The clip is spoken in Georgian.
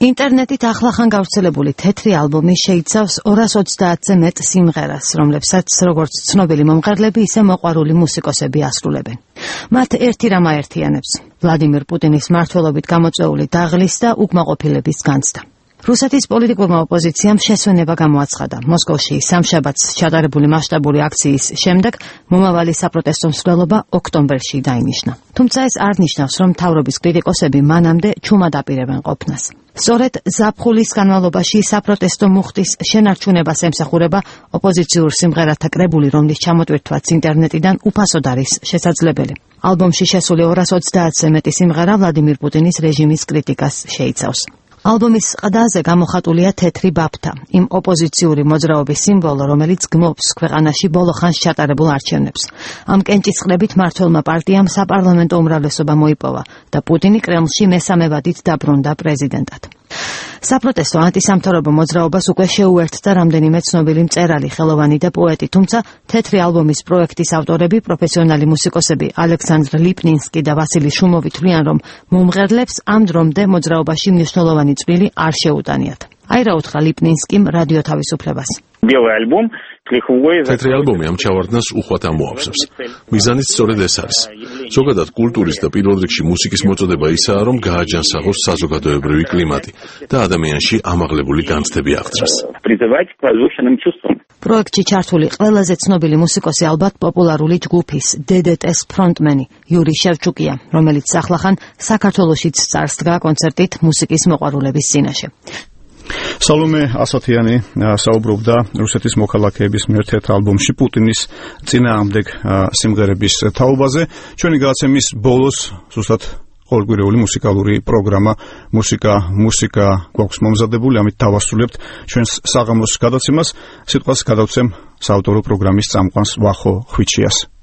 ინტერნეტით ახლახან გავრცელებული თეთრი ალბომი შეიცავს 230-ზე მეტ სიმღერას, რომლებსაც როგორც ცნობილი მომღერლები, ისე მოყვარული მუსიკოსები ასრულებენ. მათ ერთი რამ აერთიანებს: ვლადიმერ პუტინის მმართველობით გამოწვეული დაღლის და უკმაყოფილების განცდა. რუსეთის პოლიტიკურმა ოპოზიციამ შესვენება გამოაცხადა. მოსკოვში სამშაბათს ჩატარებული მასშტაბური აქციის შემდეგ მომავალი საპროტესტო მსვლელობა ოქტომბერში დაინიშნა. თუმცა ეს არ ნიშნავს, რომ მთავრობის კრიტიკოსები მანამდე ჩუმად აპირებენ ყოფნას. სწორედ ზაფხულის განმავლობაში საპროტესტო მუხტის შენარჩუნებას ემსახურება ოპოზიციურ სიმღერათა კრებული, რომლის ჩამოტვირთვაც ინტერნეტიდან უფასოდ არის შესაძლებელი. ალბომში შესული 230-ზე მეტი სიმღერა ვლადიმერ პუტინის რეჟიმის კრიტიკას შეიცავს. ალბომის ყდაზე გამოხატულია თეთრი ბაფთა, იმ ოპოზიციური მოძრაობის სიმბოლო, რომელიც გმობს ქვეყანაში ბოლო ხანს ჩატარებულ არჩევნებს. ამ კენჭისყრებით მმართველმა პარტიამ საპარლამენტო უმრავლესობა მოიპოვა და პუტინი კრემლში მესამე ვადით დაბრუნდა პრეზიდენტად. საპროტესტო ანტისამთავრობო მოძრაობას უკვე შეუერთდა რამდენიმე ცნობილი მწერალი, ხელოვანი და პოეტი, თუმცა თეთრი ალბომის პროექტის ავტორები, პროფესიონალი მუსიკოსები ალექსანდრ ლიპნინსკი და ვასილი შუმოვი თვლიან, რომ მომღერლებს ამ დრომდე მოძრაობაში მნიშვნელოვანი წვლილი არ შეუტანიათ. აი რა უთხრა ლიპნინსკიმ რადიო თავისუფლებას. თეთრი ალბომი ამ ჩავარდნას უხვად ამოავსებს. მიზანიც სწორედ ეს არის. ზოგადად კულტურის და პირველ რიგში მუსიკის მოწოდება ისაა, რომ გააჯანსაღოს საზოგადოებრივი კლიმატი და ადამიანში ამაღლებული განცდები აღწრას. პროექტში ჩართული ყველაზე ცნობილი მუსიკოსი ალბათ პოპულარული ჯგუფის DDT-ს ფრონტმენი იური შევჩუკია, რომელიც ახლახან საქართველოშიც წარსდგა კონცერტით მუსიკის მოყვარულების წინაშე. სალომე ასათიანი საუბრობდა რუსეთის მოქალაქეების მიერ თეთრ ალბომში პუტინის წინააღმდეგ სიმღერების თაობაზე. ჩვენი გადაცემის ბოლოს ზუსტად ყოველკვირეული მუსიკალური პროგრამა მუსიკა გვაქვს მომზადებული, ამით დავასრულებთ ჩვენს საღამოს გადაცემას. სიტყვას გადავცემ საავტორო პროგრამის წამყვანს ვახო ხვიჩიას.